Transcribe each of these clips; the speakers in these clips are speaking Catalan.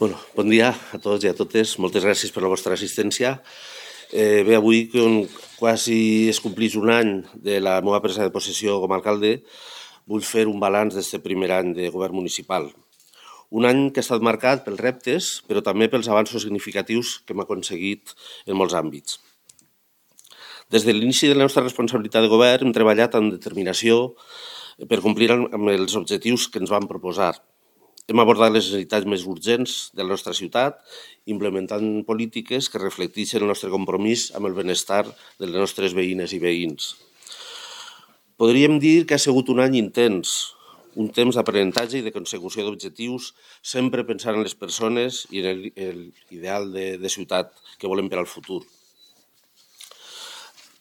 Bon dia a tots i a totes. Moltes gràcies per la vostra assistència. Bé, avui, quan quasi es complís un any de la meva presa de possessió com a alcalde, vull fer un balanç d'aquest primer any de govern municipal. Un any que ha estat marcat pels reptes, però també pels avanços significatius que hem aconseguit en molts àmbits. Des de l'inici de la nostra responsabilitat de govern hem treballat amb determinació per complir amb els objectius que ens vam proposar. Hem abordat les necessitats més urgents de la nostra ciutat, implementant polítiques que reflecteixen el nostre compromís amb el benestar de les nostres veïnes i veïns. Podríem dir que ha sigut un any intens, un temps d'aprenentatge i de consecució d'objectius, sempre pensant en les persones i en l'ideal de ciutat que volem per al futur.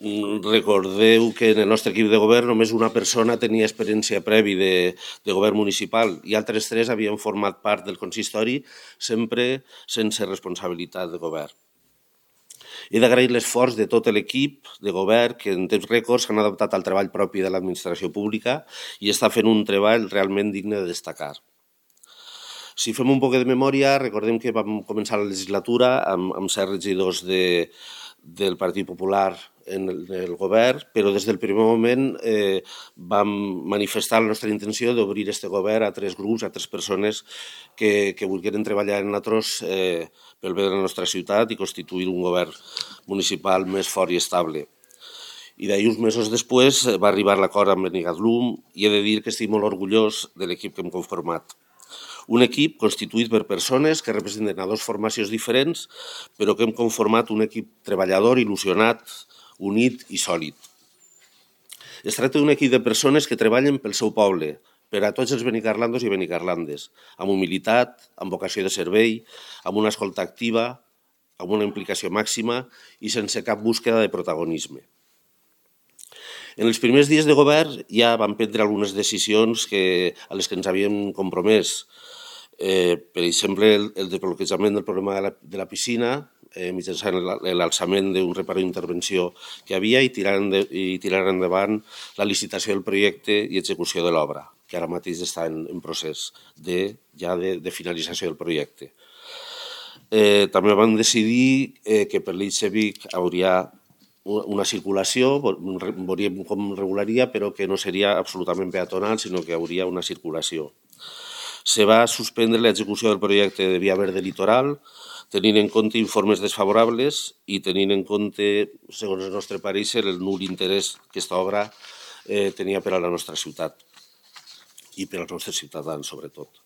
Recordeu que en el nostre equip de govern només una persona tenia experiència prèvia de govern municipal i altres 3 havien format part del consistori, sempre sense responsabilitat de govern. He d'agrair l'esforç de tot l'equip de govern que en temps rècords s'han adaptat al treball propi de l'administració pública i està fent un treball realment digne de destacar. Si fem un poc de memòria, recordem que vam començar la legislatura amb 7 regidors del Partit Popular en el govern, però des del primer moment vam manifestar la nostra intenció d'obrir aquest govern a 3 grups, a 3 persones que volgueren treballar en nosaltres pel bé de la nostra ciutat i constituir un govern municipal més fort i estable. I d'ahir, uns mesos després, va arribar l'acord amb Benicarló i he de dir que estic molt orgullós de l'equip que hem conformat. Un equip constituït per persones que representen a 2 formacions diferents, però que hem conformat un equip treballador, il·lusionat, unit i sòlid. Es tracta d'un equip de persones que treballen pel seu poble, per a tots els benicarlandos i benicarlandes, amb humilitat, amb vocació de servei, amb una escolta activa, amb una implicació màxima i sense cap búsqueda de protagonisme. En els primers dies de govern ja vam prendre algunes decisions a les que ens havíem compromès. Per exemple, el desbloquejament del problema de la piscina, mitjançant l'alçament d'un reparador d'intervenció que havia i tirar endavant la licitació del projecte i execució de l'obra, que ara mateix està en procés de finalització del projecte. També vam decidir que per l'eix Vic hauria una circulació, veuríem com regularia, però que no seria absolutament peatonal, sinó que hi hauria una circulació. Se va suspendre l'execució del projecte de Via Verde Litoral, tenint en compte informes desfavorables i tenint en compte, segons el nostre pareixer, el nul interès que aquesta obra tenia per a la nostra ciutat i per als nostres ciutadans, sobretot.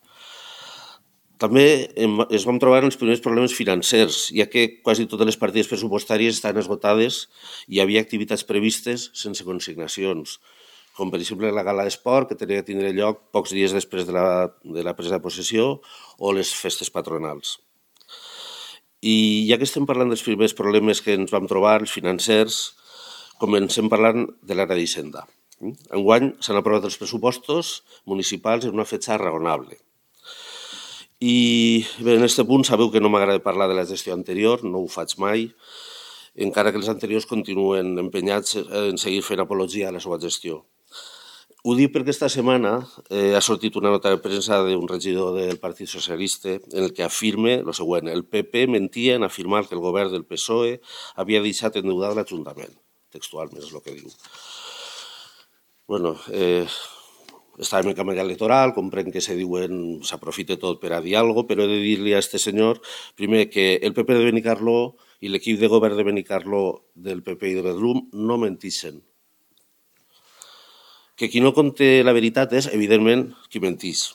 També ens vam trobar els primers problemes financers, ja que quasi totes les partides pressupostàries estan esgotades i hi havia activitats previstes sense consignacions, com per exemple la gala d'esport, que tenia que tindre lloc pocs dies després de la presa de possessió, o les festes patronals. I ja que estem parlant dels primers problemes que ens vam trobar, els financers, comencem parlant de l'àrea d'Hisenda. Enguany s'han aprovat els pressupostos municipals en una fetge raonable. I bé, en aquest punt sabeu que no m'agrada parlar de la gestió anterior, no ho faig mai, encara que els anteriors continuen empenyats en seguir fent apologia a la seva gestió. Ho dic perquè aquesta setmana ha sortit una nota de premsa d'un regidor del Partit Socialista en el que afirma el següent: el PP mentia en afirmar que el govern del PSOE havia deixat endeutat l'Ajuntament. Textualment és el que diu. Bueno, estàvem en campanya electoral, comprenc que s'aprofita tot per a dir alguna cosa, però he de dir-li a aquest senyor, primer, que el PP de Benicarló i l'equip de govern de Benicarló del PP i de Bedrum no mentixen. Que qui no conté la veritat és, evidentment, qui mentís.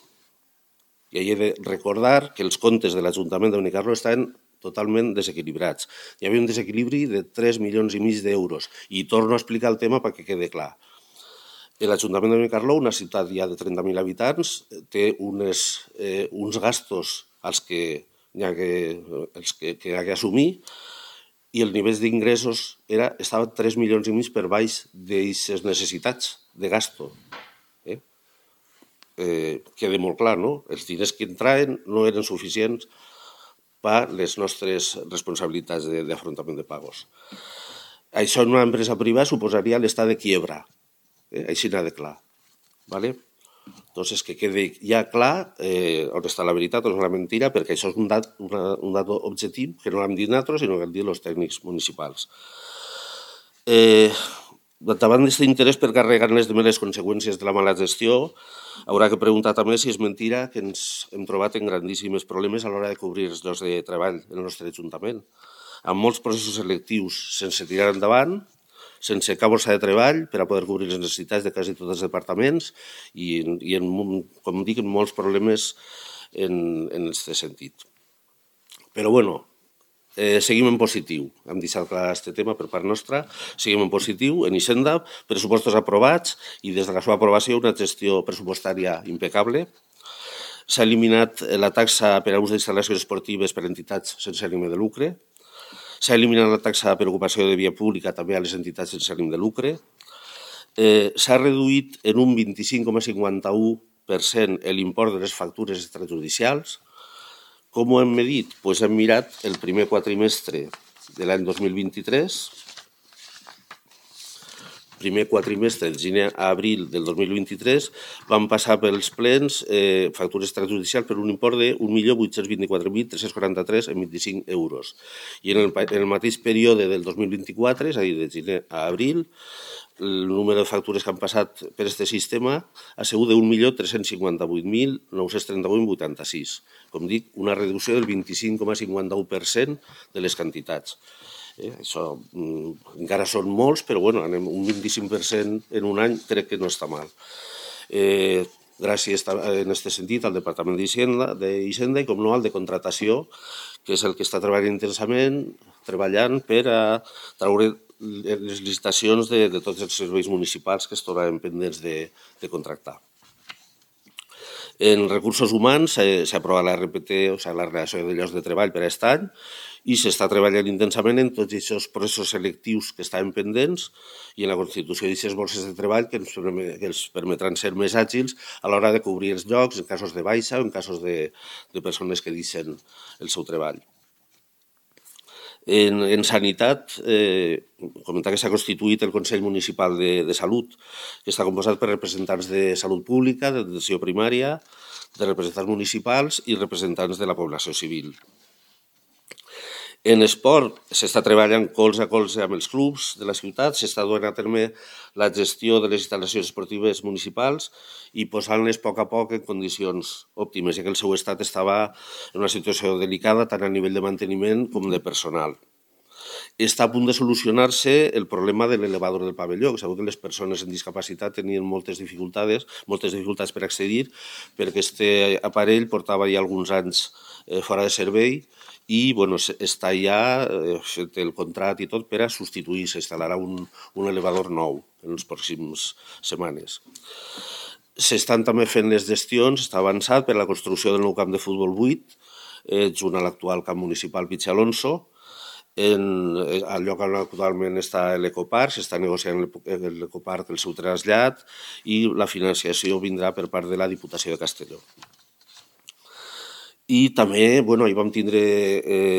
I he de recordar que els comptes de l'Ajuntament de Benicarló estan totalment desequilibrats. Hi havia un desequilibri de 3,5 milions d'euros. I torno a explicar el tema perquè quede clar. L'Ajuntament de Benicarló, una ciutat ja de 30.000 habitants, té uns gastos que ha d'assumir i el nivell d'ingressos estava 3,5 milions per baix d'aquestes necessitats de gasto. Queda molt clar, no? Els diners que entraven no eren suficients per les nostres responsabilitats d'afrontament de pagos. Això en una empresa privada suposaria l'estat de quiebra. Així n'ha de clar. Doncs que quedi ja clar on està la veritat, on és la mentira, perquè això és un dat objectiu que no l'hem dit nosaltres, sinó que l'han dit els tècnics municipals. Davant d'aquest interès per carregar-les de les conseqüències de la mala gestió, haurà que preguntar també si és mentira que ens hem trobat en grandíssims problemes a l'hora de cobrir els llocs de treball en el nostre Ajuntament, amb molts processos selectius sense tirar endavant, sense cap borsa de treball per a poder cobrir les necessitats de quasi tots els departaments i com dic, molts problemes en aquest sentit. Però bueno, seguim en positiu. Hem deixat clar aquest tema per part nostra. Seguim en positiu. En Hisenda, pressupostos aprovats i des de la seva aprovació una gestió pressupostària impecable. S'ha eliminat la taxa per a ús d'instal·lacions esportives per a entitats sense ànim de lucre. S'ha eliminat la taxa per ocupació de via pública també a les entitats sense ànim de lucre. S'ha reduït en un 25,51% l'import de les factures extrajudicials. Com ho hem medit? Doncs hem mirat el primer quatrimestre de l'any 2023, primer quatrimestre, de gener a abril del 2023, van passar pels plens factures extrajudicials per un import de 1.824.343,25 euros. I en el mateix període del 2024, és a dir, de gener a abril, el número de factures que han passat per aquest sistema ha sigut de 1.358.938,86. Com dic, una reducció del 25,51% de les quantitats. Això encara són molts, però bueno, anem un 25% en un any crec que no està mal. Gràcies en aquest sentit al Departament d'Hisenda i, com no, al de contratació, que és el que està treballant intensament, treballant per a treure les licitacions de tots els serveis municipals que es trobaven pendents de contractar. En recursos humans s'ha aprovat la RPT, o sigui, la relació de llocs de treball per a aquest any, i s'està treballant intensament en tots aquests processos selectius que estaven pendents i en la constitució d'aquestes borses de treball que ens permetran ser més àgils a l'hora de cobrir els llocs en casos de baixa o en casos de persones que deixen el seu treball. En sanitat, comentar que s'ha constituït el Consell Municipal de Salut, que està composat per representants de salut pública, d'atenció primària, de representants municipals i representants de la població civil. En esport s'està treballant colze a colze amb els clubs de la ciutat, s'està duent a terme la gestió de les instal·lacions esportives municipals i posant-les a poc en condicions òptimes, ja que el seu estat estava en una situació delicada tant a nivell de manteniment com de personal. Està a punt de solucionar-se el problema de l'elevador del pavelló, que sabeu que les persones amb discapacitat tenien moltes dificultats per accedir, perquè aquest aparell portava ja alguns anys fora de servei i està ja fet el contracte i tot per a substituir, s'instal·larà un elevador nou en les pròximes setmanes. S'estan també fent les gestions, està avançat per a la construcció del nou camp de futbol 8, junt a l'actual camp municipal Pichi Alonso. Al lloc on actualment està l'Ecoparc, s'està negociant l'Ecoparc el seu trasllat i la financiació vindrà per part de la Diputació de Castelló. I també hi vam tindre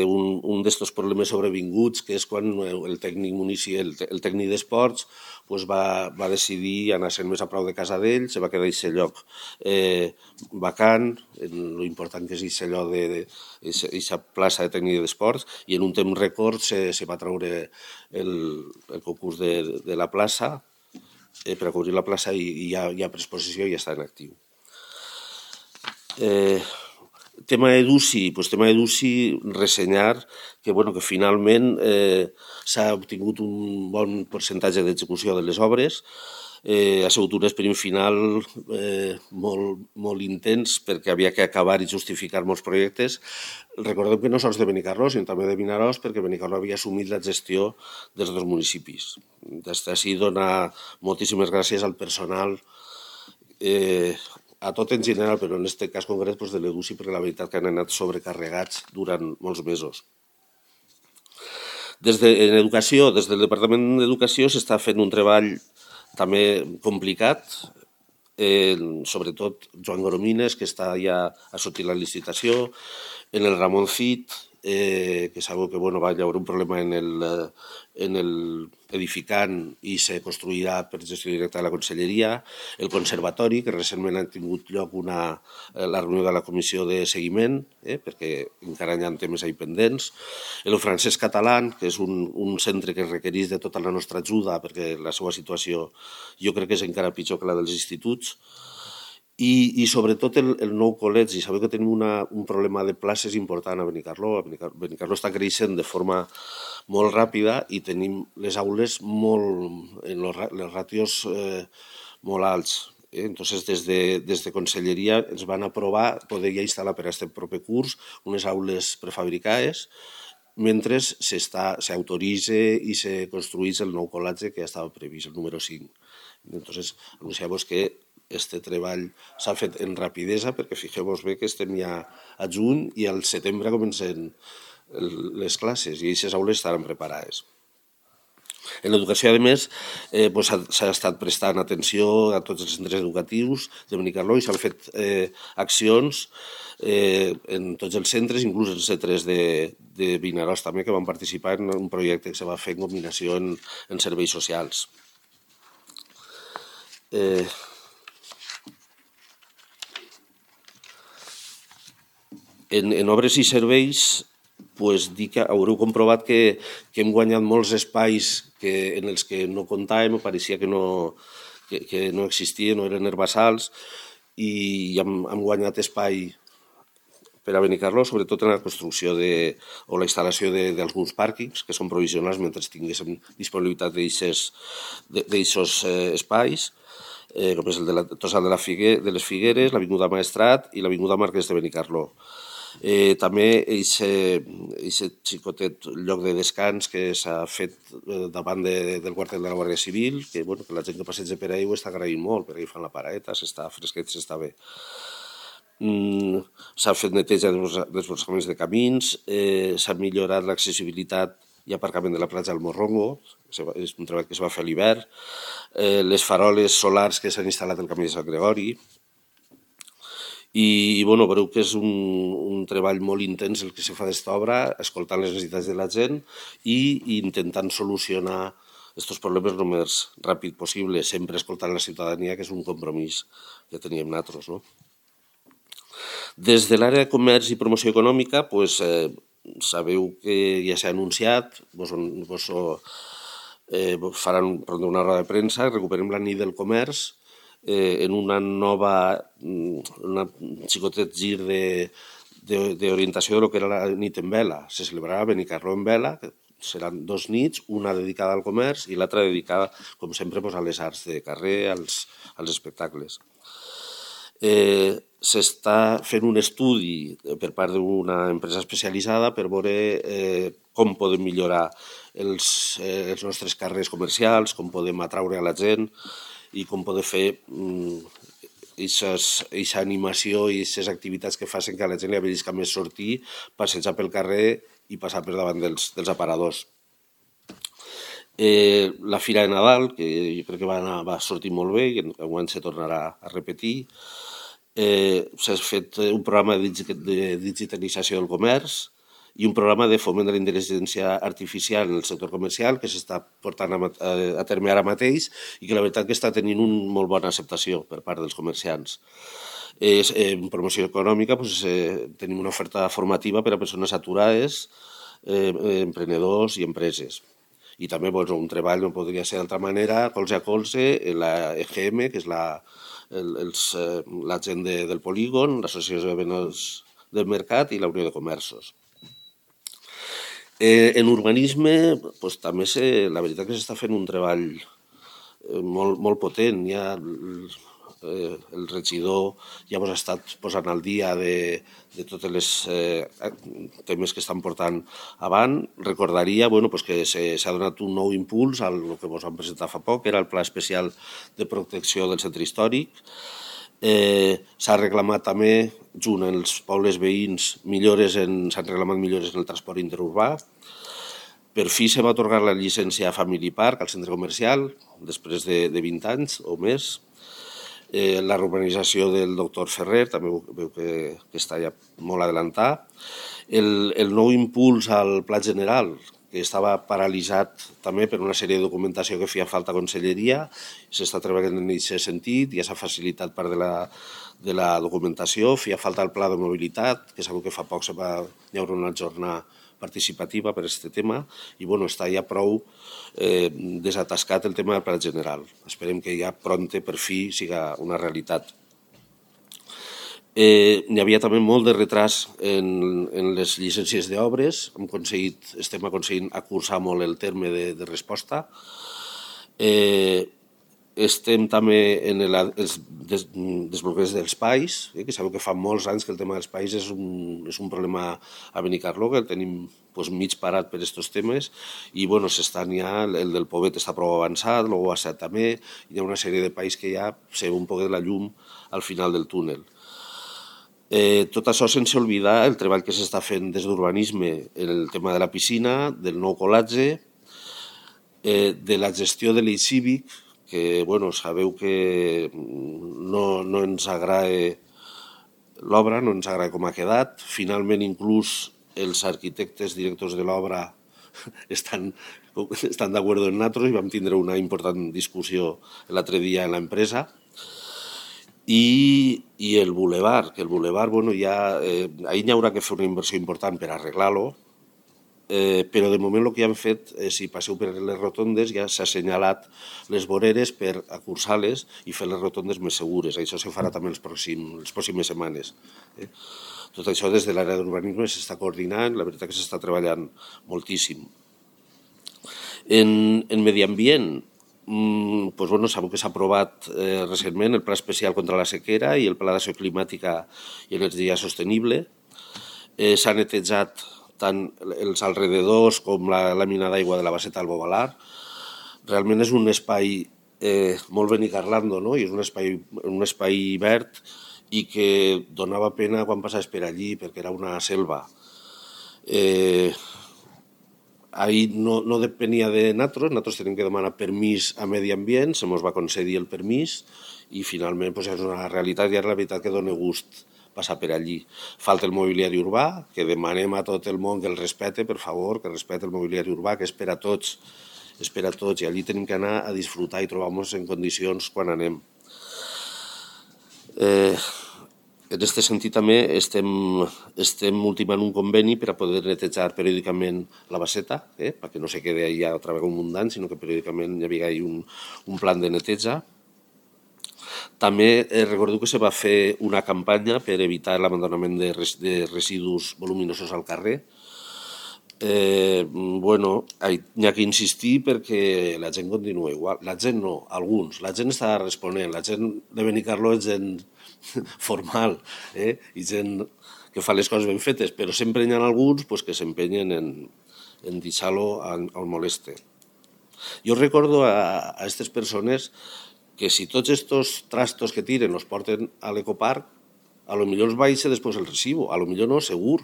un d'aquests problemes sobrevinguts, que és quan el tècnic d'esports va decidir anar-se'n més a prop de casa d'ell, se va quedar aquest lloc vacant, l'important que és aquest lloc d'aquesta plaça de tècnic d'esports, i en un temps rècord se va treure el concurs de la plaça per a cobrir la plaça i ja ha pres possessió i ja està en actiu. Tema d'EDUSI, ressenyar que finalment s'ha obtingut un bon percentatge d'execució de les obres. Ha sigut un sprint final molt intens perquè havia que acabar i justificar molts projectes. Recordem que no sols de Benicarló, sinó també de Vinaròs, perquè Benicarló havia assumit la gestió dels dos municipis. Des d'ací donar moltíssimes gràcies al personal, a tot en general, però en aquest cas concret de l'EDUSI, perquè la veritat que han anat sobrecarregats durant molts mesos. En educació, des del Departament d'Educació s'està fent un treball també complicat, sobretot Joan Goromines, que està ja a sortir la licitació, en el Ramon Cid que sabeu que va haver un problema en el edificant i se construirà per gestió directa de la conselleria, el conservatori, que recentment ha tingut lloc la reunió de la comissió de seguiment, perquè encara hi ha temes ahí pendents, el francès català, que és un centre que requereix de tota la nostra ajuda perquè la seva situació jo crec que és encara pitjor que la dels instituts, i sobretot el nou col·legi. Sabeu que tenim un problema de places important a Benicarló. Benicarló està creixent de forma molt ràpida i tenim les aules les ràtios molt alts. Entonces, des de Conselleria ens van aprovar poder ja instal·lar per a aquest proper curs unes aules prefabricades mentre s'autoritza i se construeix el nou col·legi que ja estava previst, el número 5. Entonces, anunciar-vos que este treball s'ha fet en rapidesa perquè fixeu-vos bé que estem ja a juny i al setembre comencen les classes i aquestes aules estaran preparades. En l'educació, a més, s'ha estat prestant atenció a tots els centres educatius de Benicarló i s'han fet accions en tots els centres, inclús els C3 de Vinaròs també, que van participar en un projecte que se va fer en combinació en serveis socials. En obres i serveis, dir que haureu comprovat que hem guanyat molts espais en els que no comptàvem, pareixia que no existien, no eren herbassals, i hem guanyat espai per a Benicarló, sobretot en la construcció o la instal·lació d'alguns pàrquings, que són provisionals mentre tinguéssim disponibilitat d'aixòs espais, com és el de la Tossal de les Figueres, l'Avinguda Maestrat i l'Avinguda Marquès de Benicarló. També aquest xicotet lloc de descans que s'ha fet davant del quartel de la Guàrdia Civil, que la gent que passeja per ahí ho està agraint molt, perquè hi fan la paraeta, s'està fresquet, s'està bé. S'ha fet neteja dels desbrossaments de camins, s'ha millorat l'accessibilitat i aparcament de la platja del Morrongo, és un treball que es va fer a l'hivern, les faroles solars que s'han instal·lat al camí de Sant Gregori, i veureu que és un treball molt intens el que se fa d'esta obra, escoltant les necessitats de la gent i intentant solucionar aquests problemes el més ràpid possible, sempre escoltant la ciutadania, que és un compromís que teníem nosaltres. Des de l'àrea de comerç i promoció econòmica, sabeu que ja s'ha anunciat, faran una roda de premsa, recuperem la nit del comerç, en una xicotet gir d'orientació del que era la nit en vela. Se celebrarà Benicarló en vela, que seran 2 nits, una dedicada al comerç i l'altra dedicada, com sempre, a les arts de carrer, als espectacles. S'està fent un estudi per part d'una empresa especialitzada per veure com podem millorar els nostres carrers comercials, com podem atraure a la gent i com poder fer aquesta animació i aquestes activitats que facin que a la gent li avellisca més sortir, passejar pel carrer i passar per davant dels aparadors. La Fira de Nadal, que jo crec que va sortir molt bé i enguany se tornarà a repetir. S'ha fet un programa de digitalització del comerç i un programa de foment de la intel·ligència artificial en el sector comercial que s'està portant a terme ara mateix i que la veritat que està tenint una molt bona acceptació per part dels comerciants. En promoció econòmica tenim una oferta formativa per a persones aturades, emprenedors i empreses. I també un treball no podria ser d'altra manera, colze a colze, la EGM, que és la gent del polígon, l'Associació de Venedors del Mercat i la Unió de Comerços. En urbanisme, també la veritat que s'està fent un treball molt potent. Ja el regidor ja ha estat posant al dia de tots els temes que estan portant avant. Recordaria que s'ha donat un nou impuls al que ens vam presentar fa poc, que era el Pla Especial de Protecció del Centre Històric. S'ha reclamat també, junt amb els pobles veïns, s'han reclamat millores en el transport interurbà. Per fi se va atorgar la llicència a Family Park al centre comercial, després de 20 anys o més. la urbanització del doctor Ferrer, també veu que està ja molt adelantat. El nou impuls al Pla General, que estava paralitzat també per una sèrie de documentació que feia falta a Conselleria, s'està treballant en aquest sentit, ja s'ha facilitat part de la documentació, feia falta el pla de mobilitat, que sabeu que fa poc hi haurà una jornada participativa per aquest tema, i està ja prou desatascat el tema del Pla General. Esperem que ja pronte per fi siga una realitat. N'hi havia també molt de retras en les llicències d'obres, estem aconseguint acurçar molt el terme de resposta. Estem també en els desbloqueig dels pais, que sabeu que fa molts anys que el tema dels pais és un problema a Benicarló, que el tenim mig parat per aquests temes, i s'estan ja, el del Pobet està prou avançat, el Guasset també, hi ha una sèrie de pais que ja se veu un poc de la llum al final del túnel. Tot això sense oblidar el treball que s'està fent des d'urbanisme en el tema de la piscina, del nou colatge, de la gestió de l'eix cívic, que sabeu que no ens agrada l'obra, no ens agrada com ha quedat. Finalment, inclús els arquitectes directors de l'obra estan d'acord amb nosaltres i vam tindre una important discussió l'altre dia en l'empresa. I el bulevard, ahir n'hi haurà que fer una inversió important per arreglar-lo, però de moment el que han fet, si passeu per les rotondes, ja s'ha assenyalat les voreres per acurçar-les i fer les rotondes més segures. Això se farà també les pròximes setmanes. Tot això des de l'àrea d'urbanisme s'està coordinant, la veritat que s'està treballant moltíssim. En medi ambient, sabeu que s'ha aprovat recentment el Pla Especial contra la Sequera i el Pla d'Acció Climàtica i Energia Sostenible. S'ha netejat tant els alrededors com la làmina d'aigua de la baseta del Bovalar. Realment és un espai molt benicarlando, no? I és un espai verd i que donava pena quan passaves per allí perquè era una selva. Ahir no depenia de nosaltres tenim que demanar permís a Medi Ambient, se ens va concedir el permís i finalment és una realitat i és la veritat que dona gust passar per allí. Falta el mobiliari urbà, que demanem a tot el món que el respecte, per favor, que respecte el mobiliari urbà, que és per a tots, i allí tenim que anar a disfrutar i trobar-nos en condicions quan anem. En aquest sentit també estem ultimant un conveni per a poder netejar periòdicament la baseta, perquè no se quedi allà otra vegada un munt d'anys, sinó que periòdicament hi havia un plan de neteja. També recordo que se va fer una campanya per evitar l'abandonament de residus voluminosos al carrer. N'hi ha que insistir perquè la gent continua igual. La gent no, alguns. La gent està responent. La gent de Benicarló és gent formal i gent que fa les coses ben fetes, però sempre hi ha alguns que s'empenyen en deixar-lo al moleste. Jo recordo a aquestes persones que si tots aquests trastos que tiren els porten a l'ecoparc, a lo millor els baixa després el recibo, a lo millor no, segur.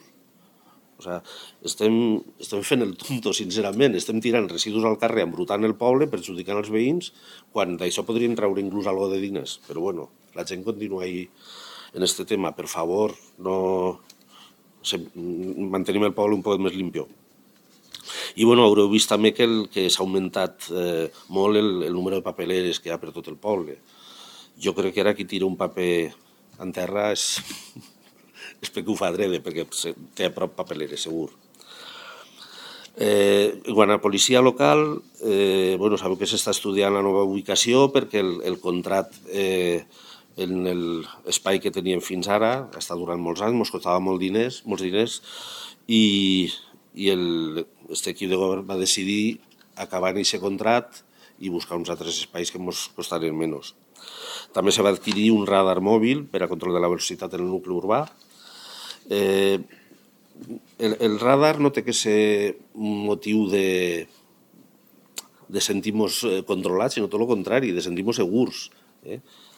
O sigui, estem fent el tonto, sincerament, estem tirant residus al carrer, embrutant el poble, perjudicant els veïns, quan d'això podrien treure inclús algo de diners. Però la gent continua ahí en este tema. Per favor, mantenim el poble un poc més limpio. I haureu vist també que s'ha augmentat molt el número de papeleres que hi ha per tot el poble. Jo crec que ara qui tira un paper en terra és perquè ho fa adrede, perquè té a prop papeleres, segur. Quant a policia local, sabeu que s'està estudiant la nova ubicació perquè el contracte en l'espai que teníem fins ara està durant molts anys, ens costava molts diners i aquest equip de govern va decidir acabar aquest contracte i buscar uns altres espais que ens costarien menys. També se va adquirir un radar mòbil per a control de la velocitat en el nucli urbà. El radar no té que ser un motiu de sentir-nos controlats, sinó tot el contrari, de sentir-nos segurs.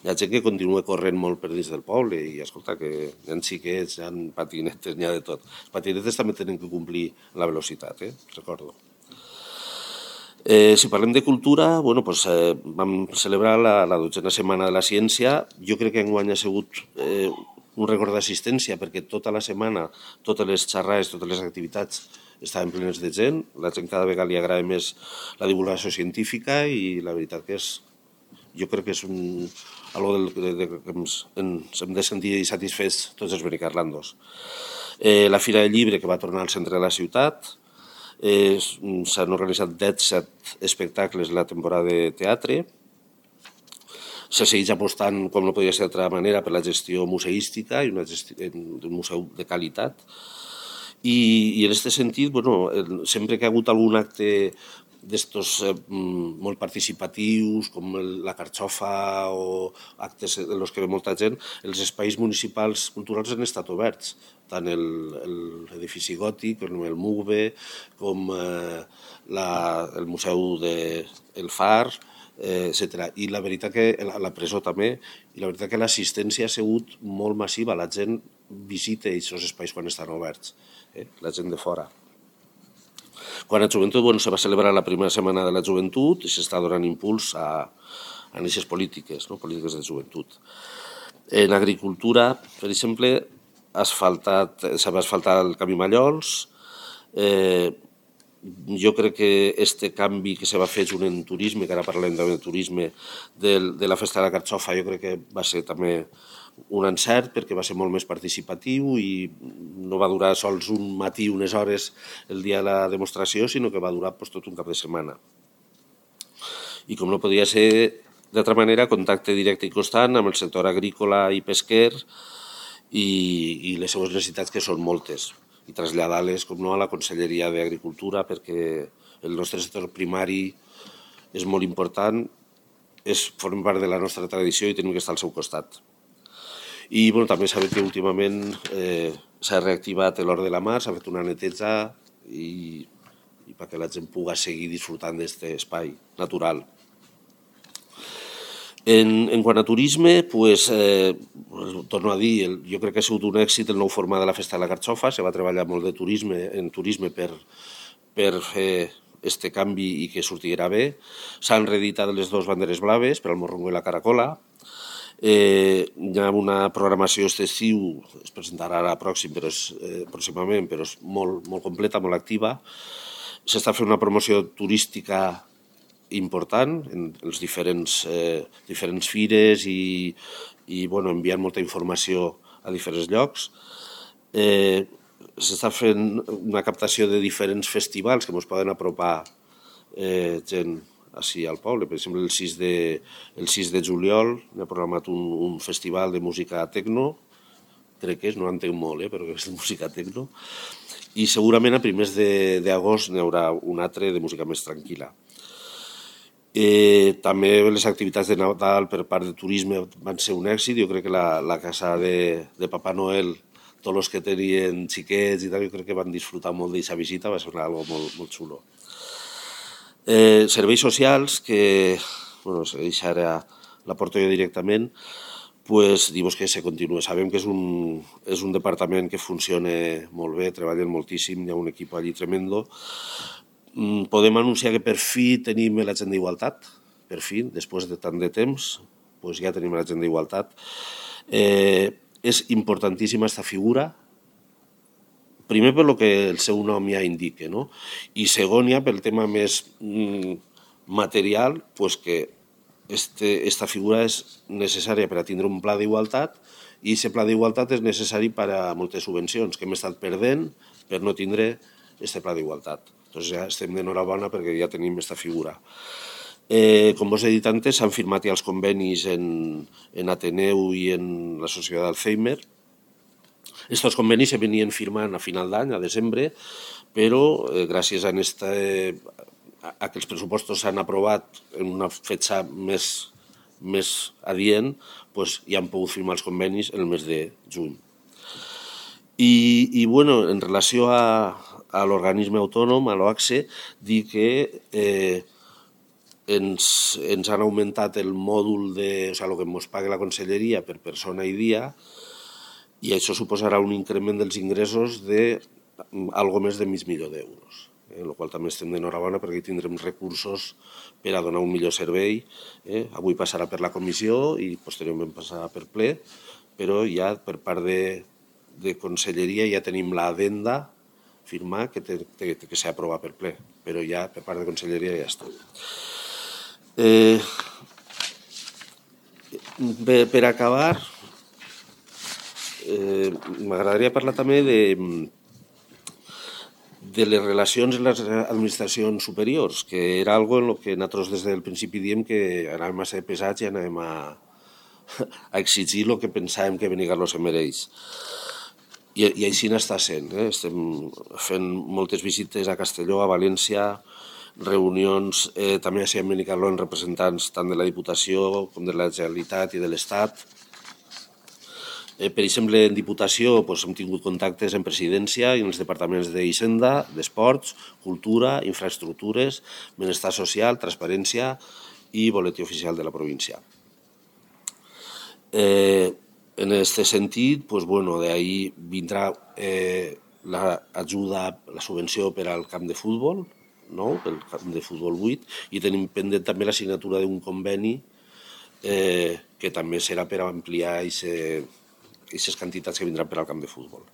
Hi ha gent que continua corrent molt per dins del poble i, escolta, que hi ha xiquets, hi ha patinetes, n'hi ha de tot. Els patinetes també tenen que complir la velocitat, recordo. Si parlem de cultura, bueno, doncs, vam celebrar la 12a Setmana de la Ciència. Jo crec que enguany ha sigut un rècord d'assistència perquè tota la setmana, totes les xerrades, totes les activitats estaven plenes de gent. La gent cada vegada li agrada més la divulgació científica i la veritat que jo crec que és algo que ens hem de sentir satisfets tots els benicarlandos. La Fira del Llibre, que va tornar al centre de la ciutat. S'han organitzat 17 espectacles la temporada de teatre. Se segueix apostant, com no podia ser d'altra manera, per la gestió museística i un museu de qualitat. I en aquest sentit, bueno, sempre que ha hagut algun acte d'estos molt participatius, com la carxofa o actes en els que ve molta gent, els espais municipals culturals han estat oberts, tant l'edifici gòtic, com el MUGBE, com el Museu del Far, etc. I la veritat que la presó també, i la veritat que l'assistència ha sigut molt massiva, la gent visita aquests espais quan estan oberts, la gent de fora. Quan a joventut, bueno, se va celebrar la primera setmana de la joventut i s'està donant impuls a aquestes polítiques, no? Polítiques de joventut. En agricultura, per exemple, s'ha asfaltat el camí Mallols. Jo crec que este canvi que se va fer junt en turisme, que ara parlem de turisme, de la festa de la carxofa, jo crec que va ser també un encert perquè va ser molt més participatiu i no va durar sols un matí, unes hores el dia de la demostració, sinó que va durar tot un cap de setmana. I com no podia ser d'altra manera, contacte directe i constant amb el sector agrícola i pesquer i les seues necessitats, que són moltes, i traslladar-les, com no, a la Conselleria d'Agricultura, perquè el nostre sector primari és molt important, forma part de la nostra tradició i tenim que estar al seu costat. I bueno, també sabem que últimament s'ha reactivat l'Hort de la Mar, s'ha fet una neteja i perquè la gent pugui seguir disfrutant d'aquest espai natural. En quant a turisme, pues, torno a dir, jo crec que ha sigut un èxit el nou format de la Festa de la Carxofa. Se va treballar molt en turisme per fer aquest canvi i que sortirà bé. S'han reeditat les dues banderes blaves per al Morrongo i la Caracola. Hi ha una programació aquest estiu, es presentarà ara pròximament, però és molt completa, molt activa. S'està fent una promoció turística important en les diferents fires i enviant molta informació a diferents llocs. S'està fent una captació de diferents festivals que ens poden apropar gent així al poble. Per exemple, el 6 de juliol ha programat un festival de música tecno, crec que és, no entenc molt, però és de música tecno, i segurament a primers d'agost n'hi haurà un altre de música més tranquil·la. També les activitats de Nadal per part de turisme van ser un èxit. Jo crec que la casa de Papà Noel, tots els que tenien xiquets i tal, jo crec que van disfrutar molt d'aquesta visita, va ser algo molt xulo. Serveis socials, que se deixa ara la porto jo directament, pues dir-vos que se continua. Sabem que és un departament que funciona molt bé, treballen moltíssim, hi ha un equip allí tremendo. Podem anunciar que per fi tenim l'agent d'igualtat, per fi, després de tant de temps, pues ja tenim l'agent d'igualtat. És importantíssima aquesta figura, primer per lo que el seu nom ja indica, no? I segon ja pel tema més material, pues que aquesta figura és necessària per a tindre un pla d'igualtat i aquest pla d'igualtat és necessari per a moltes subvencions que hem estat perdent per no tindre aquest pla d'igualtat. Doncs ja estem d'enhorabona perquè ja tenim aquesta figura. Com vos he dit antes, s'han firmat ja els convenis en Ateneu i en la Societat d'Alzheimer. Estos convenis se venien firmant a final d'any, a desembre, però gràcies a que els pressupostos s'han aprovat en una fetge més adient, ja han pogut firmar els convenis en el mes de juny. I en relació a l'organisme autònom, a l'OACSE, dir que ens han augmentat el mòdul el que ens paga la Conselleria per persona i dia, i això suposarà un increment dels ingressos d'algo més de mig milió d'euros. el qual també estem d'enhorabona perquè tindrem recursos per a donar un millor servei. Avui passarà per la comissió i posteriorment passarà per ple, però ja per part de Conselleria ja tenim l'adenda firmar que s'ha aprovat per ple, però ja per part de Conselleria ja està. Per acabar, m'agradaria parlar també de les relacions en les administracions superiors, que era algo en què nosaltres des del principi diem que anàvem a ser pesats i anàvem a exigir el que pensàvem que Benicarló se mereix. I així n'està sent. Estem fent moltes visites a Castelló, a València, reunions també a Benicarló amb representants tant de la Diputació com de la Generalitat i de l'Estat. Per exemple, en Diputació hem tingut contactes en Presidència i en els departaments d'Hisenda, d'Esports, Cultura, Infraestructures, Benestar Social, Transparència i Boletí Oficial de la província. En aquest sentit, d'ahí vindrà l'ajuda, la subvenció per al camp de futbol, pel camp de futbol 8, i tenim pendent també la signatura d'un conveni que també serà per ampliar aquestes quantitats que vindran per al camp de futbol.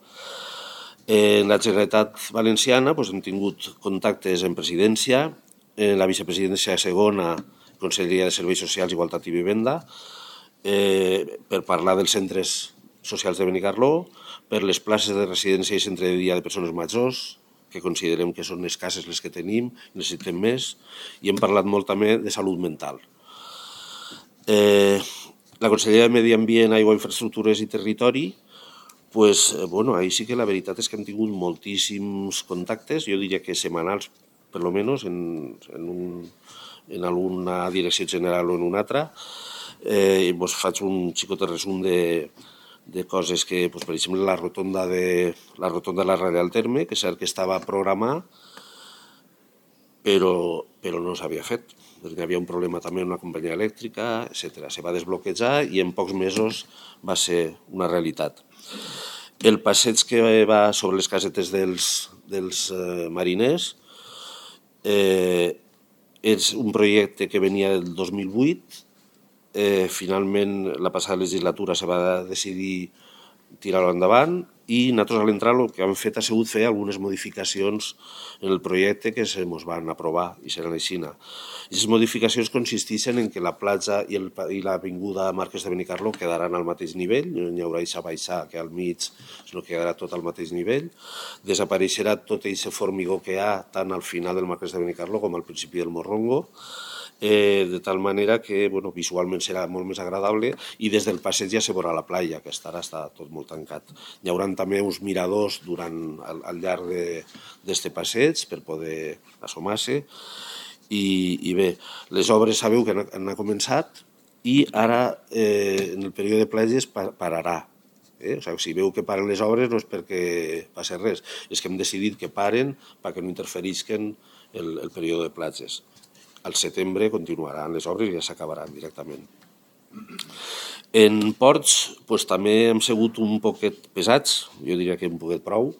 En la Generalitat Valenciana hem tingut contactes en Presidència, en la Vicepresidència segona, Conselleria de Serveis Socials, Igualtat i Vivenda, per parlar dels centres socials de Benicarló, per les places de residència i centre de dia de persones majors, que considerem que són escasses les que tenim, necessitem més, i hem parlat molt també de salut mental. La Conselleria de Medi Ambient, Aigua, Infraestructures i Territori, ahí sí que la veritat és que hem tingut moltíssims contactes, jo diria que setmanals, per lo menos, en alguna direcció general o en una altra. Faig un xicot resum de coses que, per exemple, la rotonda de la Radial Terme, que és cert que estava programada, però no s'havia fet. Hi havia un problema també amb una companyia elèctrica, etc. Se va desbloquejar i en pocs mesos va ser una realitat. El passeig que va sobre les casetes dels mariners és un projecte que venia del 2008. Finalment, la passada legislatura se va decidir tirar-ho endavant i nosaltres a l'entrar el que hem fet ha sigut fer algunes modificacions en el projecte que se ens van aprovar i seran així. Aquestes modificacions consisteixen en que la platja i l'avinguda Marquès de Benicarló quedaran al mateix nivell, no hi haurà aquesta baixada que al mig, sinó que quedarà tot al mateix nivell. Desapareixerà tot aquest formigó que hi ha tant al final del Marquès de Benicarló com al principi del Morrongo, de tal manera que visualment serà molt més agradable i des del passeig ja se veurà la platja, que ara està tot molt tancat. Hi haurà també uns miradors al llarg d'aquest passeig per poder assomar-se i bé, les obres sabeu que han començat i ara en el període de platges pararà. Si veu que paren les obres no és perquè passi res, és que hem decidit que paren perquè no interferisquen el període de platges. Al setembre continuaran les obres i ja s'acabaran directament. En ports també hem sigut un poquet pesats, jo diria que un poquet prou,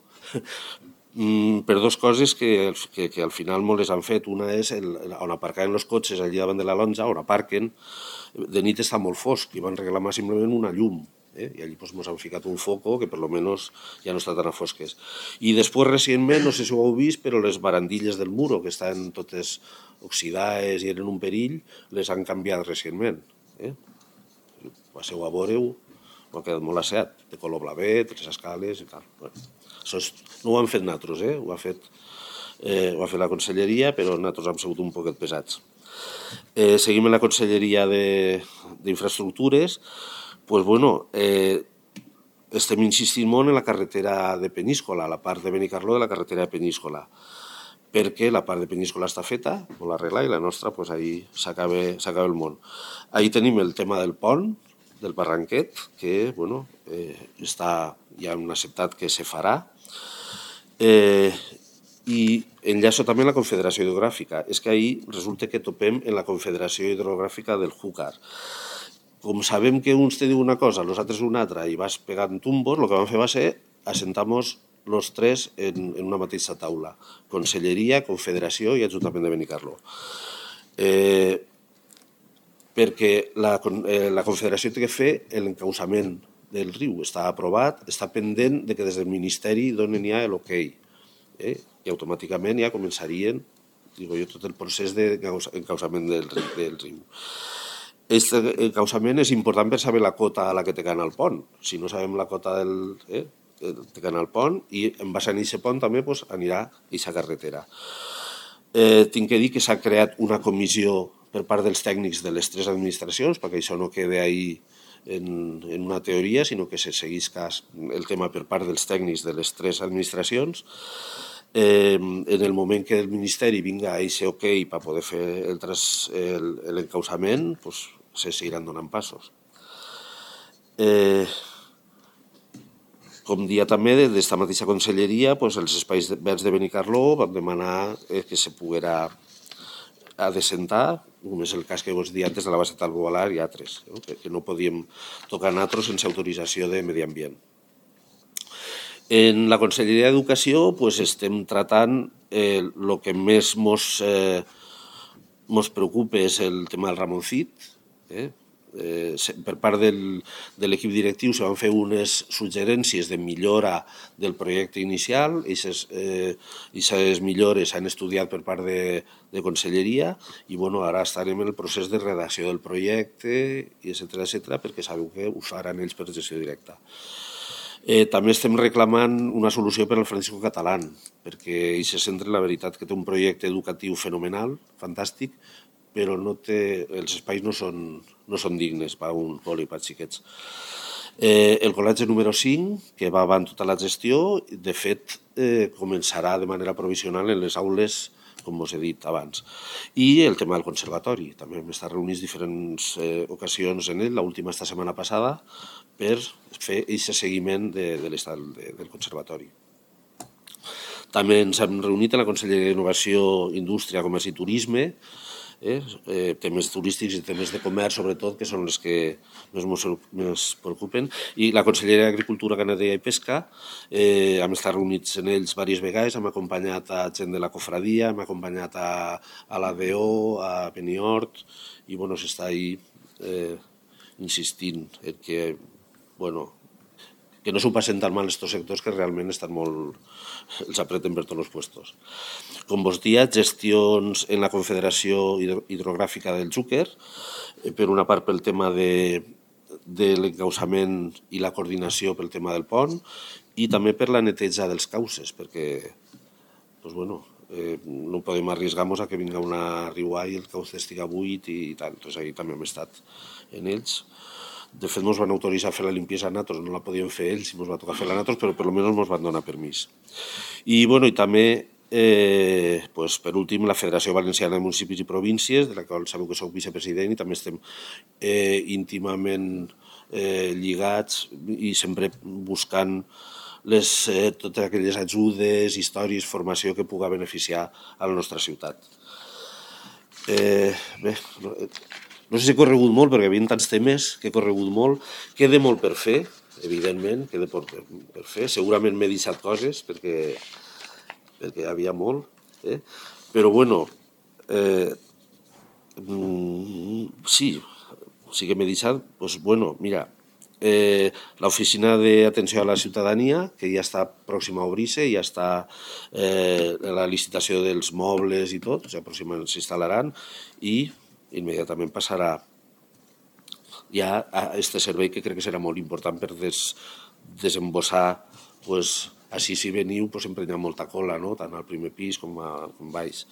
per dues coses que al final molt les han fet. Una és on aparcaven els cotxes allà davant de la Lonja, on aparquen, de nit està molt fosc i van reclamar simplement una llum. I allí ens han ficat un foco que per lo menos ja no està tan a fosques. I després recentment, no sé si ho heu vist, però les barandilles del muro, que estan totes oxidades i eren un perill, les han canviat recentment. Passeu a veure-ho, ho ha quedat molt asseat, de color blavet, les escales i tal. Això no ho han fet nosaltres, ho ha fet la Conselleria, però nosaltres hem sigut un poquet pesats. Seguim en la Conselleria d'Infraestructures. Estem insistint molt en la carretera de Peníscola, la part de Benicarló de la carretera de Peníscola, perquè la part de Peníscola està feta, molt arregla, i la nostra, ahí s'acaba el món. Ahí tenim el tema del pont, del Barranquet, que ja hem acceptat que se farà, i enllaço també la Confederació Hidrogràfica. És que ahir resulta que topem en la Confederació Hidrogràfica del Júcar. Com sabem que uns te diu una cosa, els altres una altra, i vas pegant tumbos, el que vam fer va ser assentar-nos els tres en una mateixa taula, Conselleria, Confederació i Ajuntament de Benicarló. Perquè la Confederació té que fer l'encausament del riu, està aprovat, està pendent de que des del Ministeri donen ja l'ok, i automàticament ja començarien tot el procés d'encausament del riu. Aquest encausament és important per saber la cota a la que té que anar el pont. Si no sabem la cota té que anar al pont, i en base a aquest pont també anirà aquesta carretera. Tinc que dir que s'ha creat una comissió per part dels tècnics de les tres administracions, perquè això no quede ahí en una teoria, sinó que se seguís el tema per part dels tècnics de les tres administracions. En el moment que el Ministeri vinga a aquest ok per poder fer l'encausament, se seguiran donant passos. Com dia també, des d'esta mateixa conselleria, els espais verds de Benicarló vam demanar que se poguera adecentar, només el cas que vos dia antes de la base Talbovalar i altres, que no podíem tocar nosaltres sense autorització de Medi Ambient. En la Conselleria d'Educació estem tratant el que més ens preocupa és el tema del Ramoncit. Per part de l'equip directiu se van fer unes suggerències de millora del projecte inicial. Aquestes millores s'han estudiat per part de Conselleria i ara estarem en el procés de redacció del projecte, etcètera, perquè sabeu que ho faran ells per gestió directa. També estem reclamant una solució per al Francisco Catalán, perquè aquest centre, la veritat, que té un projecte educatiu fenomenal, fantàstic, però els espais no són dignes per a un col·le per a xiquets. El col·legi número 5, que va avant tota la gestió, de fet, començarà de manera provisional en les aules, com us he dit abans. I el tema del conservatori. També hem estat reunits diferents ocasions en ell, l'última esta setmana passada, per fer aquest seguiment de l'estat del conservatori. També ens hem reunit a la Conselleria d'Innovació, Indústria, Comerç i Turisme, temes turístics i temes de comerç, sobretot, que són els que més preocupen, i la Conselleria d'Agricultura, Ramaderia i Pesca. Hem estat reunits en ells diverses vegades, hem acompanyat a gent de la cofradia, hem acompanyat a l'ADO, a Beniort, i s'està ahí insistint en que no s'ho passen tan mal aquests sectors, que realment estan molt... els apreten per tots els puestos. Com vos dia, gestions en la Confederació Hidrogràfica del Xúquer, per una part pel tema de l'encausament i la coordinació pel tema del pont, i també per la neteja dels cauces, perquè no podem arriesgar-nos a que vinga una riuà i el cauce estiga buit i tant. Ahí també hem estat en ells. De fet, ens van autoritzar a fer la limpiesa a nosaltres, no la podíem fer ells, ens va tocar fer-la a nosaltres, però per almenys ens van donar permís. I també, per últim, la Federació Valenciana de Municipis i Províncies, de la qual sabeu que soc vicepresident, i també estem íntimament lligats i sempre buscant totes aquelles ajudes, històries, formació que pugui beneficiar a la nostra ciutat. Bé, no sé si he corregut molt, perquè hi havia tants temes que he corregut molt. Queda molt per fer, evidentment, queda per fer. Segurament m'he deixat coses, perquè hi havia molt. Però, sí que m'he deixat. Mira, l'oficina d'atenció a la ciutadania, que ja està pròxima a obrir-se, ja està la licitació dels mobles i tot, pròximament s'instal·laran, i immediatament passarà ja a aquest servei, que crec que serà molt important per desembossar. Així, si veniu, sempre hi ha molta cola, tant al primer pis com baix.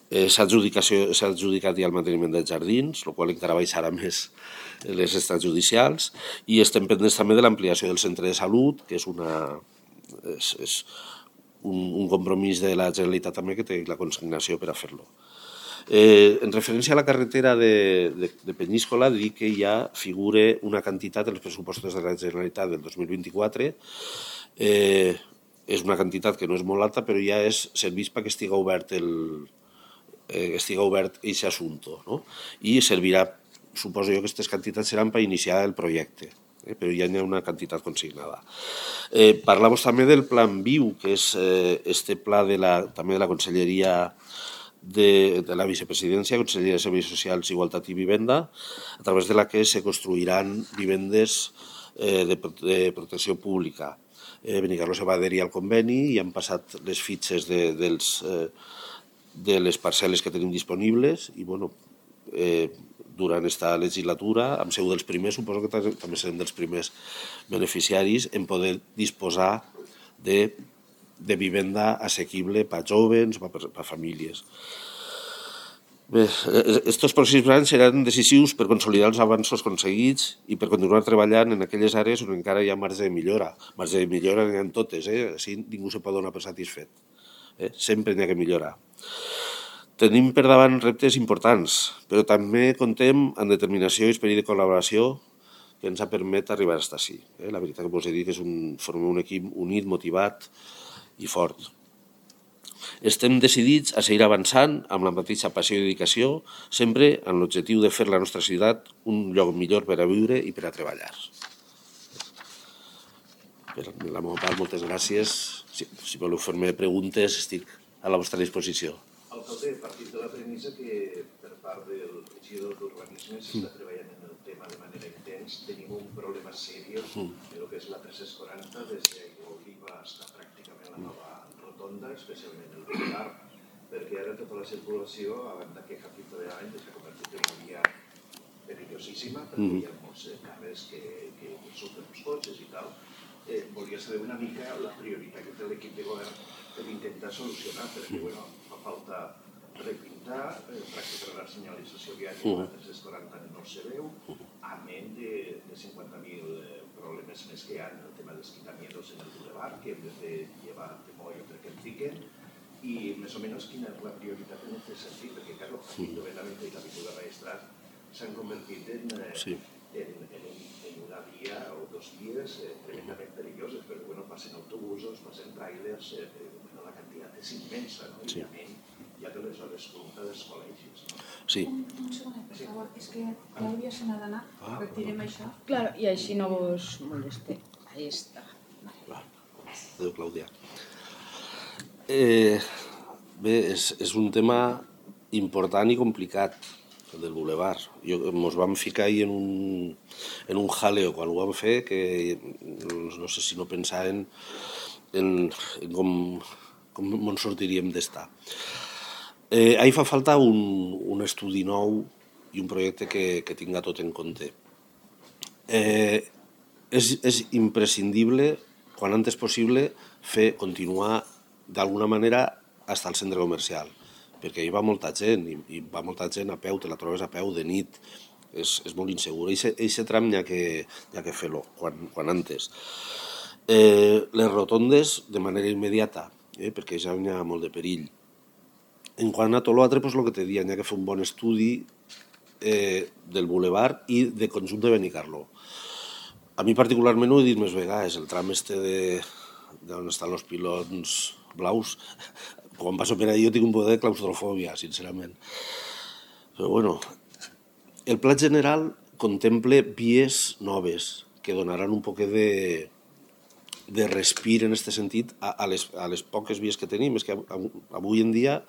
S'ha adjudicat ja el manteniment dels jardins, el qual encara baixarà més les extrajudicials, i estem pendents també de l'ampliació del centre de salut, que és un compromís de la Generalitat també, que té la consignació per a fer-lo. En referència a la carretera de Peníscola, dic que ja figura una quantitat en els pressupostos de la Generalitat del 2024. És una quantitat que no és molt alta, però ja serveix perquè estiga obert aquest assumpte. I servirà, suposo jo, que aquestes quantitats seran per iniciar el projecte. però ja n'hi ha una quantitat consignada. Parlàvem també del Plan Viu, que és este pla també de la Conselleria de la Vicepresidència, Conselleria de Serveis Socials, Igualtat i Vivenda, a través de la que se construiran vivendes de protecció pública. Benicarló se va adherir al conveni i han passat les fitxes de les parcel·les que tenim disponibles i, bueno, durant aquesta legislatura, hem sigut dels primers, suposo que també serem dels primers beneficiaris en poder disposar de vivenda assequible per a joves, per a famílies. Bé, estos pròxims anys seran decisius per consolidar els avanços aconseguits i per continuar treballant en aquelles àrees on encara hi ha marge de millora. Marge de millora n'hi ha en totes, així ningú se pot donar per satisfet. Sempre n'hi ha que millorar. Tenim per davant reptes importants, però també comptem amb determinació i esperit de col·laboració que ens ha permès arribar fins ací. La veritat que us he dit que formem un equip unit, motivat i fort. Estem decidits a seguir avançant amb la mateixa passió i dedicació, sempre amb l'objectiu de fer la nostra ciutat un lloc millor per a viure i per a treballar. Per la meva part, moltes gràcies. Si voleu fer-me preguntes, estic a la vostra disposició. Alcalde, partint de la premissa que per part del regidor d'Urbanisme s'està treballant en el tema de manera intens, tenim un problema seriós en el que és la 340, des d'Aigua Oliva fins a pràcticament la nova rotonda, especialment el Boulevard, perquè ara tota la circulació, abans d'aquest capítol de l'any, s'ha convertit en una via perillosíssima, perquè hi ha molts carrers que surten els cotxes i tal. Volia saber una mica la prioritat que té l'equip de govern per intentar solucionar, perquè fa falta repintar, practicar la senyalització viària de 340 no se veu, a menys de 50.000 problemes més que hi ha en el tema dels quitamientos en el Boulevard, que hem de fer llevar de moll perquè el piquen, i més o menys quina és la prioritat en aquest sentit, perquè, clar, l'Ajuntament i l'Avinguda Maestrat s'han convertit en una via o dos vies tremendament perilloses, perquè passen autobusos, passen trailers, la quantitat és immensa, no? I a menys ja de les hores punta dels col·legis. Sí. Un segonet, per favor. És que Clàudia se n'ha d'anar. Retirem això. Claro, i així no vos moleste. Ahí està. Adéu, Clàudia. Bé, és un tema important i complicat, el del Boulevard. Ens vam ficar ahir en un jaleo quan ho vam fer, que no sé si no pensaven en com ens sortiríem d'estar. Ahir fa falta un estudi nou i un projecte que tinga tot en compte. És imprescindible, quan antes possible, continuar d'alguna manera fins al centre comercial, perquè hi va molta gent, i va molta gent a peu, te la trobes a peu de nit, és molt insegur. Eixe tram n'hi ha que fer-lo, quan antes. Les rotondes, de manera immediata, perquè ja n'hi ha molt de perill. En quant a tot l'altre, el que te deia, n'hi ha que fer un bon estudi del Boulevard i de conjunt de Benicarló. A mi particularment ho he dit més vegades, el tram d'on estan els pilons blaus, quan passo per allà jo tinc un poder de claustrofòbia, sincerament. Però bueno, el pla general contempla vies noves que donaran un poc de respir en aquest sentit a les poques vies que tenim. És que avui en dia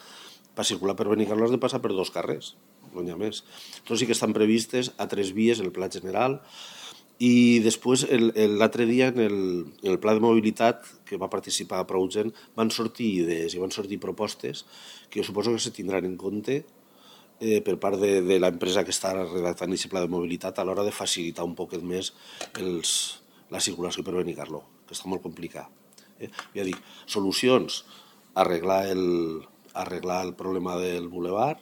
per circular per Benicarló has de passar per 2 carrers, no n'hi ha més. Tots sí que estan previstes a 3 vies en el pla general, i després l'altre dia en el pla de mobilitat que va participar prou gent van sortir idees i van sortir propostes que jo suposo que se tindran en compte per part de l'empresa que està redactant aquest pla de mobilitat a l'hora de facilitar un poquet més la circulació per Benicarló, que està molt complicat. Ja dic, solucions, arreglar el problema del Boulevard,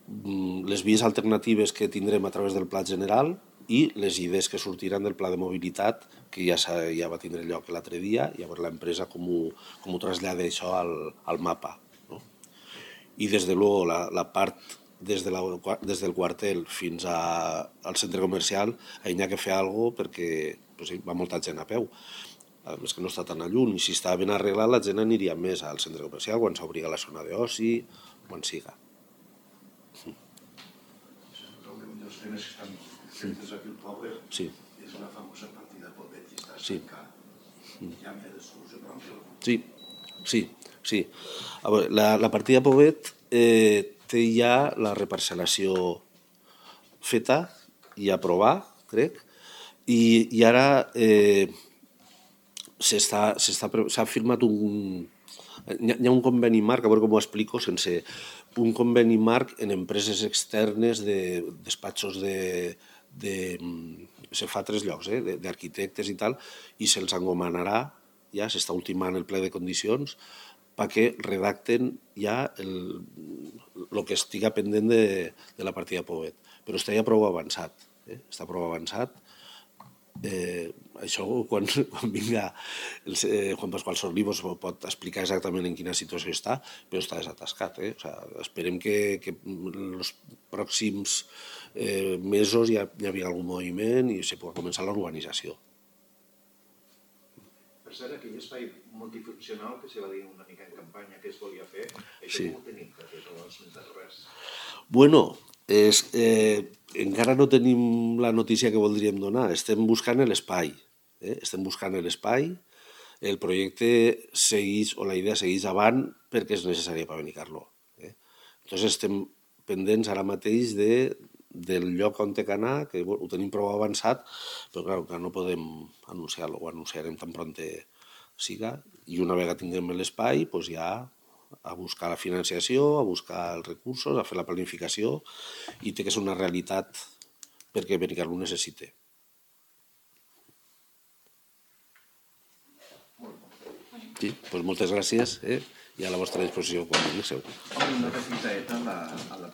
les vies alternatives que tindrem a través del pla general i les idees que sortiran del pla de mobilitat, que ja va tindre lloc l'altre dia, i llavors l'empresa com ho trasllada això al mapa. I des de luego la part des del quartel fins al centre comercial, hi ha que fer alguna cosa perquè va molta gent a peu. A més que no està tan a lluny, i si està ben arreglat la gent aniria més al centre comercial quan s'obria la zona d'oci, quan siga. Centres aquí el Power Sí. és una famosa partida Povet i està Sí. cercant. Ja m'hi ha de solucionar. Sí. A veure, la partida Povet té ja la reparcel·lació feta i aprovar, crec, i ara s'ha firmat hi ha un conveni marc, a veure com ho explico, sense un conveni marc en empreses externes de despatxos se fa a 3 llocs, d'arquitectes i tal, i se'ls encomanarà, ja s'està ultimant el ple de condicions, perquè redacten ja el que estiga pendent de la partida Povet. Però està ja prou avançat. Està prou avançat. Això quan vinga Juan Pascual Sorlí pot explicar exactament en quina situació està, però està desatascat. O sigui, esperem que en els pròxims mesos hi hagi algun moviment i se pugui començar l'urbanització. Per cert, aquell espai multifuncional que se va dir una mica en campanya que es volia fer, això Sí. com ho tenim, perquè no has esmentat res. Bueno, encara no tenim la notícia que voldríem donar. Estem buscant l'espai. El projecte segueix, o la idea segueix avant perquè és necessària per Benicarló. Entonces estem pendents ara mateix del lloc on té que anar, que ho tenim prou avançat, però clar, que no podem anunciar-lo, ho anunciarem tan prompte siga, i una vegada tinguem l'espai, doncs ja a buscar la financiació, a buscar els recursos, a fer la planificació, i té que ser una realitat perquè Benicarló ho necessita. Sí, doncs moltes gràcies i a la vostra disposició quan vingueu. Una petita a la